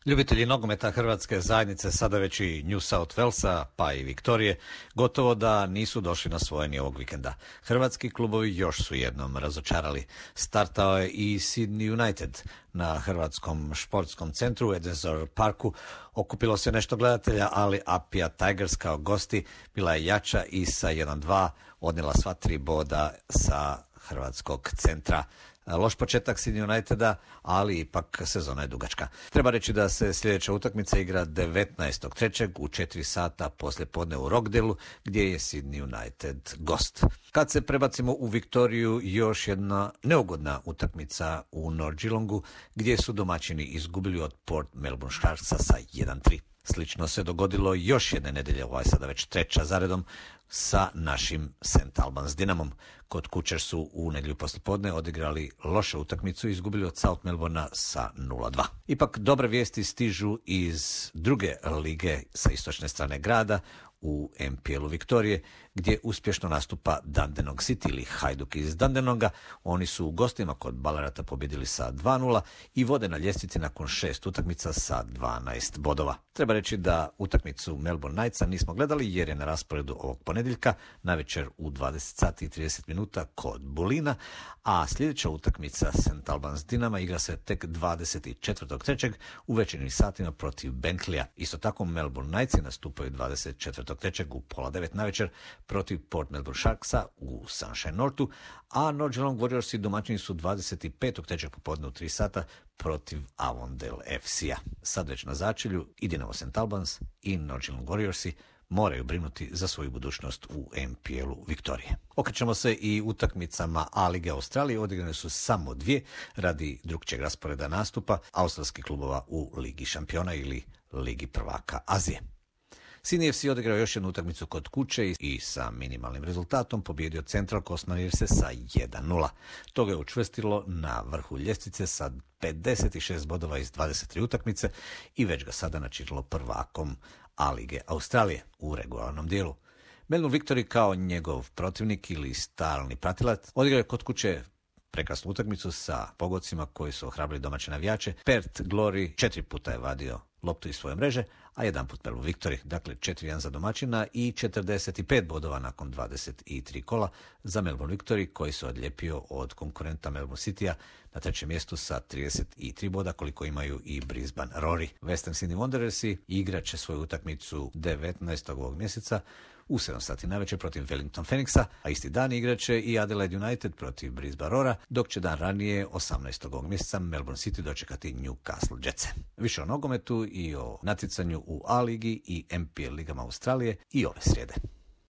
Ljubitelji nogometa hrvatske zajednice, sada već i New South Walesa, pa i Viktorije, gotovo da nisu došli na svoje ni ovog vikenda. Hrvatski klubovi još su jednom razočarali. Startao je i Sydney United na Hrvatskom športskom centru u Edensor Parku. Okupilo se nešto gledatelja, ali Apia Tigers kao gosti bila je jača i sa 1-2 odnijela sva 3 boda sa Hrvatskog centra. Loš početak Sydney Uniteda, ali ipak sezona je dugačka. Treba reći da se sljedeća utakmica igra 19.3. u 4 sata poslije podne u Rockdaleu, gdje je Sydney United gost. Kad se prebacimo u Viktoriju, još jedna neugodna utakmica u North Geelongu, gdje su domaćini izgubili od Port Melbourne Sharksa sa 1-3. Slično se dogodilo još jedne nedelje, ovo je sada već 3. zaredom, sa našim St. Albans Dinamom. Kod kuće su u nedjelju poslijepodne odigrali lošu utakmicu i izgubili od South Melbournea sa 0-2. Ipak dobre vijesti stižu iz druge lige sa istočne strane grada, u MPL-u Viktorije, gdje uspješno nastupa Dandenong City ili Hajduk iz Dandenonga. Oni su u gostima kod Ballarata pobjedili sa 2-0 i vode na ljestvici nakon 6 utakmica sa 12 bodova. Treba reći da utakmicu Melbourne Knightsa nismo gledali jer je na rasporedu ovog ponedjeljka navečer u 20 sati i 30 minuta kod Bulina, a sljedeća utakmica St. Albans Dinama igra se tek 24.3. u večernjim satima protiv Benkleya. Isto tako Melbourne Knightsi nastupaju 24.3. u 8:30 navečer protiv Port Melbourne Sharksa u Sunshine Northu, a North Geelong Warriorsi domaćini su 25.3. popodne u 3 sata protiv Avondale FC-a. Sad već na začelju i Dinamo St. Albans i North Geelong Warriorsi moraju brinuti za svoju budućnost u MPL-u Viktorije. Okrećemo se i utakmicama A lige Australije. Odigrane su samo 2 radi drugčijeg rasporeda nastupa australskih klubova u Ligi šampiona ili Ligi prvaka Azije. Sydney FC odigrao još jednu utakmicu kod kuće i sa minimalnim rezultatom pobjedio Central Coast Mariners sa 1-0. To ga je učvrstilo na vrhu ljestvice sa 56 bodova iz 23 utakmice i već ga sada načinilo prvakom A lige Australije u regularnom dijelu. Melbourne Victory kao njegov protivnik ili stalni pratilac odigrao je kod kuće prekrasnu utakmicu sa pogodcima koji su ohrabrili domaće navijače. Perth Glory 4 puta je vadio loptu iz svoje mreže, a 1 put Melbourne Victory. Dakle, 4-1 za domaćina i 45 bodova nakon 23 kola za Melbourne Victory, koji se odlijepio od konkurenta Melbourne City-a na 3. mjestu sa 33 boda, koliko imaju i Brisbane Roar. Western Sydney Wanderersi igrat će svoju utakmicu 19. ovog mjeseca u 7 sati navečer protiv Wellington Phoenixa, a isti dan igraće i Adelaide United protiv Brisbane Roara, dok će dan ranije 18. ovog mjeseca Melbourne City dočekati Newcastle Jetse. Više o nogometu i o natjecanju u A ligi i MPL ligama Australije i ove srijede.